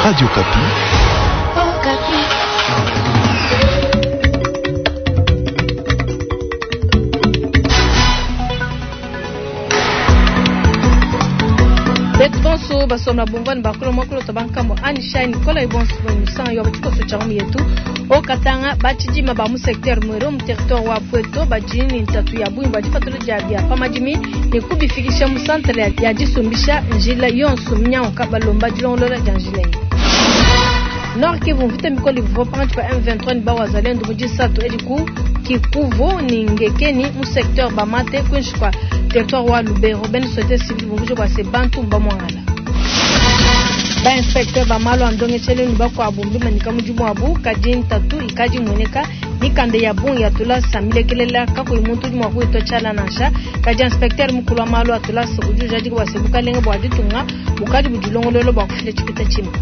Radio Okapi. Betu bonso basomba bumvua ne bakula muakulu to bankambo ani shine kola ibonso musanga yo batshikoso tshia mu yetu okatanga batshidima ba mu secteur mwero mu territoire wa Pweto badi ne ntatu ya bungi bua dipatula dia bia pa madimi ne kubifikisha mu santere ya disumbisha njila yonso minyanguka balomba dilongolola dia njila eyi. Nord Kivu mvita mikole ivua pankatshi pa M23 ne ba Wazalendo mu disatu edi ku Kikuvu ne Ngekeni mu secteur Bamate kuinshi kua territoire wa Lubero. Bena société civile bumvuija bua se bantu mbamuangala. Ba inspecteur ba malu a ndongeshelu ne bakuabu mbimanyika mudimu wabu, kadi ntatu ikadi imueneka. Mikanda ya bungi ya tulasa milekelela kakuyi muntu udi mua kuyitua tshiala nansha. Kadi inspecteur mukulu wa malu a tulasa udi ujadika bua se bukalenge bua ditunga bukadi budilongolola bua kufila tshipeta tshimpe.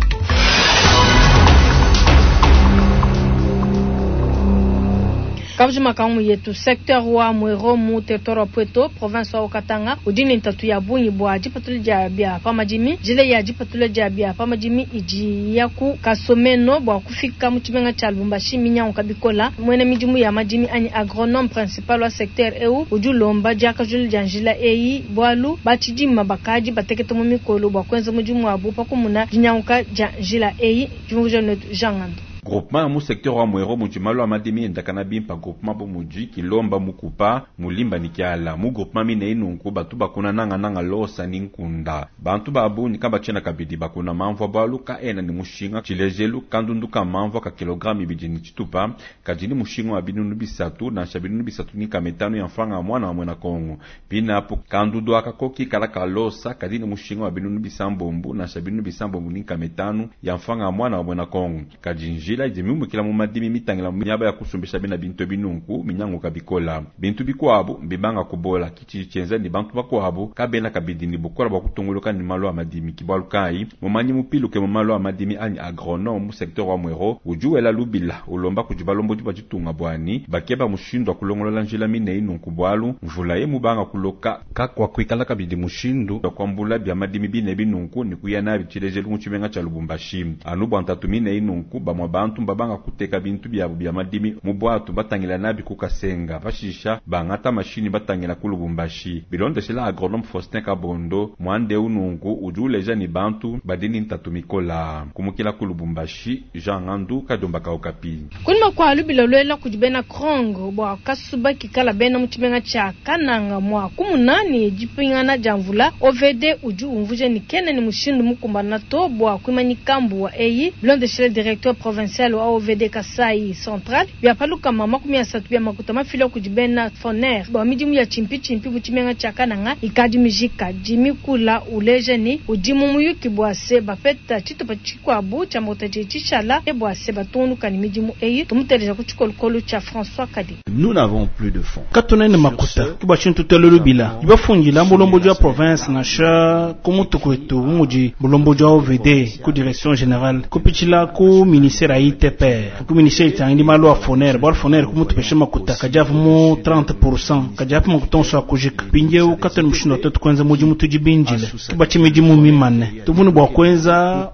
Kabujima ka ngumu yetu, secteur wa Mwero mu territoire wa Pweto, province wa Haut-Katanga udi ne ntatu ya bungi bua dipatula dia bia pa madimi. Njila ya dipatula dia bia pa madimi idi ya ku Kasomeno bua kufika mu tshimenga tshia Lubumbashi minyanguka bikola. Muena midimu ya madimi anyi agronome principal wa secteur eu udi ulomba diakajula dia njila eyi bualu batshidima bakadi batekete mu mikolo bua kuenza mudimu wabu pa kumuna dinyanguka dia njila eyi. Diumvuija netu Jean Ngandu. Groupement mu secteur wa Mwero mudi malu a madimi endakana bimpa groupement bu mudi Kilomba, Mukupa, Mulimba ne Kiala. Mu groupement mineyi nunku batu bakuna nangananga losa ne nkunda. Bantu ba bungi kabatshiena kabidi bakuna mamvua bualu kaena ne mushinga. Tshilejelu, kandundu ka mamvua ka kilograme ibidi ne tshitupa kadi ne mushinga wa binunu bisatu nansha binunu bisatu ne nkama itanu ya mfranga ya muana wa muena Kongo. Pinapu, kandudu aka ko kikala ka losa kadi ne mushinga wa binunu bisambombo nansha binunu bisambombo ne nkama itanu ya mfranga ya muana wa muena Kongo. Kadi njila idi miumukila mu madimi mitangila mu miaba ya kusumbisha bena bintu ebi nunku minyanguka bikola. Bintu bikuabu mbibanga kubola, ki tshidi tshienza ne bantu bakuabu kabena kabidi ne bukola bua kutunguluka ne malu a madimi. Ki bualu kayi mumanyi mupiluke mu malu a madimi anyi agronome mu secteur wa Mwero udi wela lubila ulomba kudi balombodi ba ditunga bua ne bakeba mushindu wa kulongolola njila mineyi nunku bualu mvula ye mubanga kuloka kakuakuikala kabidi mushindu wa kuambula bia madimi binebi nunku ne kuya nabi tshilejelu mu tshimenga tshia Lubumbashi. Anu bua ntatu mineyi nunku bamue bantu mbabanga kuteka bintu biabu bia madimi mu buatu batangila nabi ku Kasenga, pashisha bangata mashinyi batangila ku Lubumbashi. Bilondeshela agronome Faustin Kabondo, muanda eu nunku udi uleja ne bantu badi ne ntatu mikola. Kumukila ku Lubumbashi, Jean Ngandu, Kadiomba ka Okapi. Kunyima kua lubila luela kudi bena Krong bua kasuba kikala bena mu tshimenga tshia Kananga mua kumuna ne dipingana dia mvula, OVD udi umvuija ne kena ne mushindu mukumbana to bua kuimanyika mbuwa eyi. Bilondeshile directeur provincial wa OVD Kasai Central, bia pa 30 bia makuta mafila kudi bena Foner bua midimu ya tshimpitshimpi mu tshimenga tshia Kananga ikadi mijika. Jimmy Kula uleja ne udi mu muyuki bua se bapeta tshitupa tshikuabu tshia makuta tshidi tshishala bua se batungunuka ne midimu eyi. Tumuteleja ku tshikolokolo tshia François Kadi. Nous n'avons plus de fonds. Katuena ne makuta ke bua tshinyi tutela lubila dibafundila mulombodi wa province nansha ku mutu kuetu bu mudi mulombodi wa OVD ku direction generale kupitshila ku ministere ya ITPR ku ministere itangidi malu a foner bualu foner kumutupesha makuta kadi avu mu 30% kadi apu makuta onso akujika mpindieu katuena mushindu wa tuetu kuenza mudimu tudi bindile ke bua tshinyi midimu mimane tuvua ne bua kuenza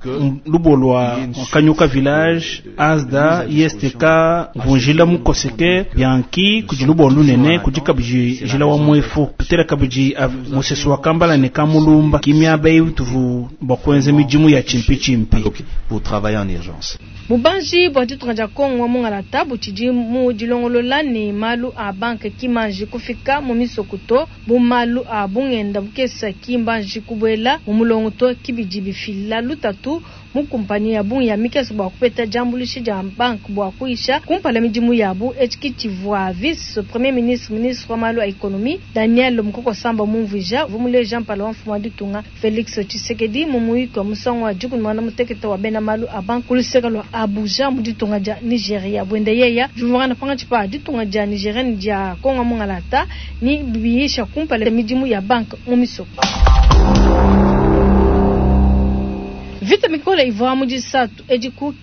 lubuwa lua Kanyuka village ASDA ISTK mvunjila mukoseke Bianchi kudi lubuwa lunene kudi kabidi njila wa muefu tutela kabidi musesu wa Kambala ne Kamulumba ki miaba eyi tuvua bua kuenza midimu ya tshimpitshimpi. Pour travailler en urgence. Bubanji bua ditunga dia Kongo wa mungalata butshidi mu dilongolola ne malu a banke ki manji kufika mu misoko to, bu malu a bungenda bukesa ki mbanji kubuela mu mulongo to, ki bidi bifila lutatu mu kumpanyi ya bungi ya mikese bua kupeta diambuluisha dia banke bua kuyisha kumpala midimu yabu. Etshi ki tshivua vice premier ministre, ministre wa malu a economie Daniel Mukoko Samba mumvuija, uvua muleja mpala wa mfumu wa ditunga Felix Tshisekedi mu muyuki wa musangu wa 16 wa bena malu a banke ku luseke lua Abuja mu ditunga dia Nigeria. Buende yeya, diumvuangana pankatshi pa ditunga dia Nigeria ne dia Kongo mungalata ne biyisha kumpala midimu ya banke mu misoko. Mvita mikole ivua mu disatu edi ku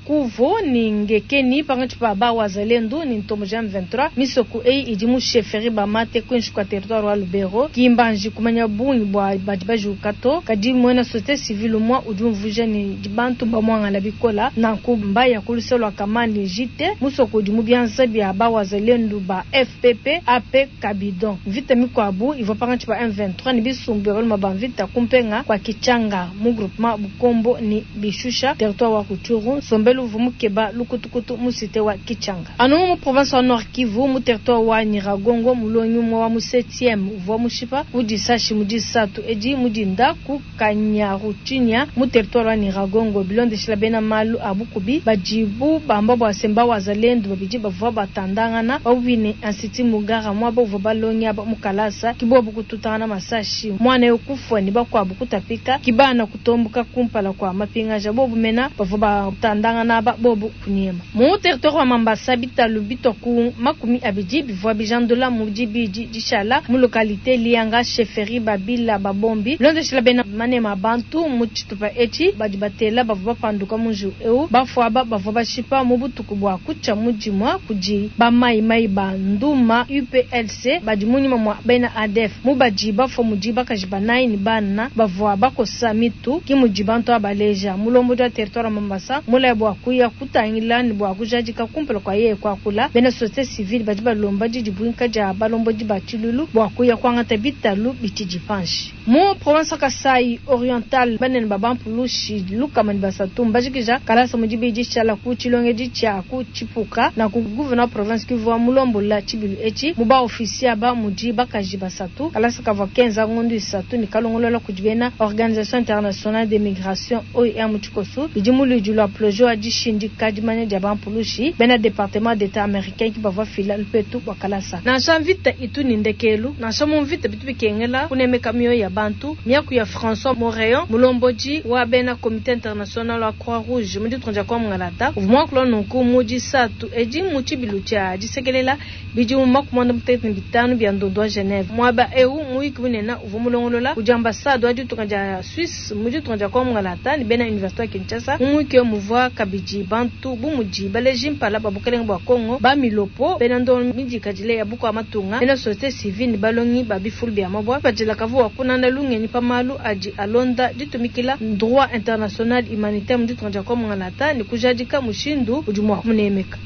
Kuvo ni Ngekeni pankatshi pa ba Wazalendo ni ntomboji M23. Misoko eyi idi mu chefferie Bamate kuinshi kua territoire wa Lubero. Ki mbanji kumanya bungi bua badi bajuka to, kadi muena société civile umua udi umvuija ne bantu mbamuangala bikola nanku mbaya ku luse lua Kamani Jite, musoko udi mu bianza bia ba Wazalendo ba FPP AP Kabidon. Mvita mikuabu ivua pankatshi pa M23 ni bisumbu bia baluma ba mvita kumpenga kua Kichanga mu groupement Bukombo ni Bishusha territoire wa Rutshuru. Nsombelu uvua mukeba lukutukutu mu cité wa Kichanga. Anu mu province wa Nord Kivu mu territoire wa Nyiragongo, mulongi umue wa mu 7e uvua mushipa ku disashi mu disatu edi mu dinda ku Kanyaruchinya mu territoire wa Nyiragongo. Bilondeshila bena malu a bukubi badibu bamba bua se mba Wazalendo babidi bavua batandangana pabuipi ne Institut Mugara muaba uvua balongi aba mu kalasa ki bobu kututangana masashi, muana eu kufua ni bakuabu kutapika ki bana kutomboka kumpala kua mapingaja bobu mena bavua batandangana aba bobu kunyema. Mu territoire wa Mambasa bitalu bitua ku 20 bivua bijandula mu dibidi dishala mu localité Lianga chefferie Babila Babombi. Bilondeshila bena manema bantu mu tshitupa etshi badi batela bavua bapanduka mu njiwu eu bafua aba bavua bashipa mu butuku bua kutshia mu dimua kudi ba mai ba Nduma UPLC badi munyima mua bena ADF mu badi bafua mudi bakaji banayi ni bana bavua bakosa mitu ki mudi bantu abaleja. Mulombodi wa territoire wa Mambasa mulaya bua kuya kutangila ni bua kujadika kumpala kua yeye kuakula. Bena société civile badi balomba didibuinka dia balombodi ba tshilulu bua kuya kuangata bitalu bitshidi panshi. Mu province wa Kasai Oriental banene ba bampulushi lukama ni basatu mbajikija kalasa mu dibidi tshiala ku tshilongedi tshia ku Tshipuka na ku gouverneur province Kivu wa mulombola tshibilu etshi mu ba officier ba mudi bakaji basatu. Kalasa kavua kenza ngondu isatu ni kalongolola kudi bena Organisation Internationale des Migrations OIM mu tshikosu bidi mu luidi lua projet wa dishindika dimanya dia bampulushi bena département d'état américain ki bavua fila lupetu bua kalasa. Nansha mvita itu ni ndekelu, nansha mu mvita bitu bikengela kunemeka mioyo ya bantu. Miaku ya François Moreon mulombodi wa bena comité international wa Croix Rouge mu ditunga dia Kwa-Mungalata uvua muakula nunku mu disatu edi mu tshibilu tshia disekelela bidimu 95 bia ndondo wa Geneve. Muaba eu muyuki munene uvua mulongolola kudi ambassade wa ditunga dia Suisse mu ditunga dia Kwa-Mungalata ni bena université wa Kinshasa. Mu muyuki eu muvua kabidi bantu bu mudi baleji mpala ba bukelenge bua Congo ba milopo bena ndondo midikadile ya bukua matunga bena société civile ni balongi ba bifulu bia mabua badila kavua kunanda lungenyi pa malu adi alonda ditumikila droit international humanitaire mu ditunga dia Kwa-Mungalata ni kujadika mushindu udi mua kumunemeka.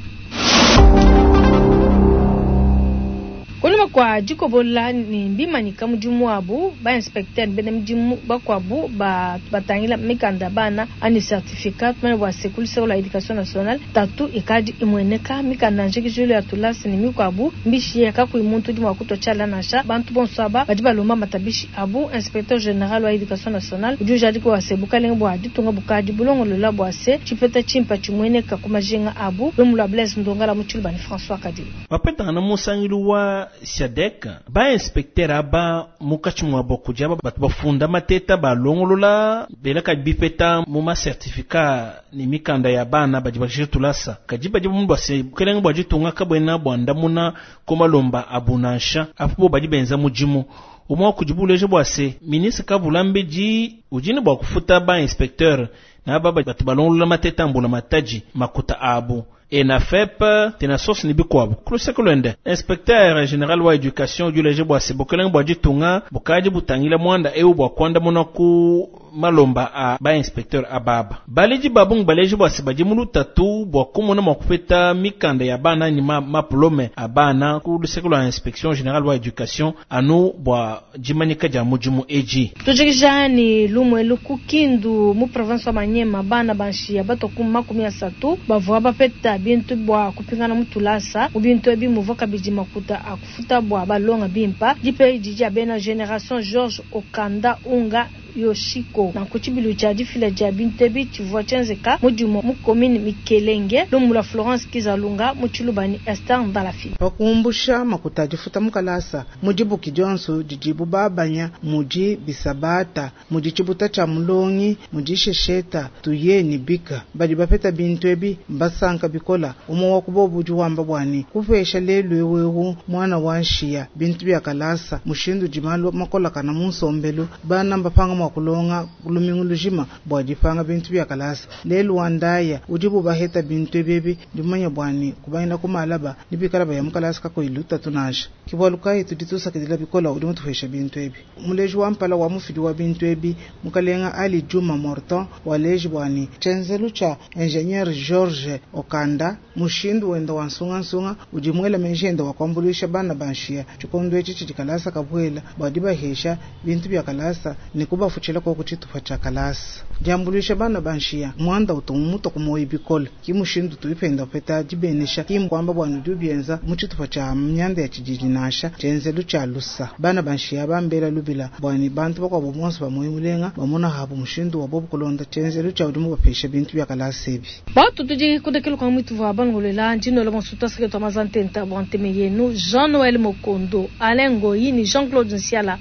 Kunyima kua dikobola ni bimanyika mudimu wabu ba inspecteur bena midimu bakuabu ba batangila mikanda bana ani certificat tumene bua se ku la éducation nationale tatu ikadi imueneka mikanda njikijulu ya tulasa ni mikuabu mbishi ya kakuyi muntu udi mua kutua tshiala nansha bantu bonso aba badi balomba matabishi abu. Inspecteur général wa éducation nationale udi ujadika bua se bukalenge bua ditunga bukadi bulongolola bua se tshipeta tshimpa tshimueneka ku majinga abu. Lumu lua Blaise Ndongala mu tshiluba ni François Kadima. Bapetangana musangilu wa SADC ba inspecteur aba munkatshi muabo kudi aba batu bafunda mateta balongolola belaka bipeta mu ma certificat ni mikanda ya bana badi bajira tulasa kadi badi bamubase bukelenge bua ditunga kabwena bua ndamuna ku malomba abu nansha apo bo badi benza mudimu umwa kudi buleje bua se ministre Kabulambedi udi ne bua kufuta ba inspecteur na aba batu balongolola mateta mbula matadi makuta abu ENAFEP tena source ni bikuabu kuluseke luende inspecteur général wa éducation udi uleje bua se bukelenge bua ditunga bukadi butangila mwanda eu bua kuandamuna ku malomba a ba inspecteur ababa baledi babungi baleje bua se badi mu lutatu bua kumona mua kupeta mikanda ya bana ni ma, mapulome a bana ku luseke lua inspection générale wa éducation anu bua dimanyika dia mudimu edi. Tujikija ni lumwelu ku Kindu mu province wa Maniema bana banshiya batua ku 30 bavua bapeta bintu bua kupingana mu tulasa mu bintu ebi muvua kabidi makuta a kufuta bua balonga bimpa dipe didi dia bena génération George Okanda Unga Yoshiko na ku tshibilu tshia difila dia bintu ebi tshivua tshienzeka mudimu mu commune Mikelenge lumu lua Florence Kizalunga mu tshiluba ni Esther Ndalafi. Pakumbusha makuta difuta mukalasa mudibuki dionso didibu babanya mudi bisabata mudi tshibuta tshia mulongi mudi shesheta tuye ni bika badi bapeta bintu ebi mbasanka bikola umwe wa kubobu udi wamba bwani kupesha lelu ewewu mwana wa nshiya bintu bya kalasa mushindu dimalu makola kana munsombelu bana mbapanga mua kulonga lumingu lujima bua dipanga bintu bia kalasa. Lelu wa ndaya udibu baheta bintu ebi ndi mumanye bua ne kubangila ku malaba ne bikala baya mu kalasa kakuyi lutatu nansha. Ke bualu kayi tudi tusakidila bikole udi mutupesha bintu ebi. Muleji wa mpala wa mufidi wa bintu ebi mukalenga Ali Juma Morton waleji bua ne tshienzelu tshia ingénieur George Okanda mushindu wenda wa nsungansunga udi muela meji enda wa kuambuluisha bana ba nshiya tshikondo etshi tshidi kalasa kabuela bua dibahesha bintu bia kalasa ne kubafutshila koku tshitupa tshia kalasa. Diambuluisha bana ba nshiya muanda utu mumutua ku muoyo bikole ki mushindu tuipenda upeta dibenesha ki nkuamba bua nudi ubienza mu tshitupa tshia mianda ya tshididi nansha tshienzelu tshia lusa. Bana ba nshiya bambela lubila bua ne bantu bakuabu bonso ba muoyo mulenga bamona habu mushindu wa bobu kulonda tshienzelu tshia udi mubapesha bintu bia kalasa ebi. Batu tudi kudekela kwa mwitu wa balongolela ndino bonso taseke twa mazantenta bua nteme yenu Jean Noël Mokondo Alain Ngoyi ni Jean Claude Nsiala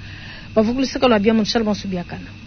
bavukuluseka lwa bia mu bonso biakana.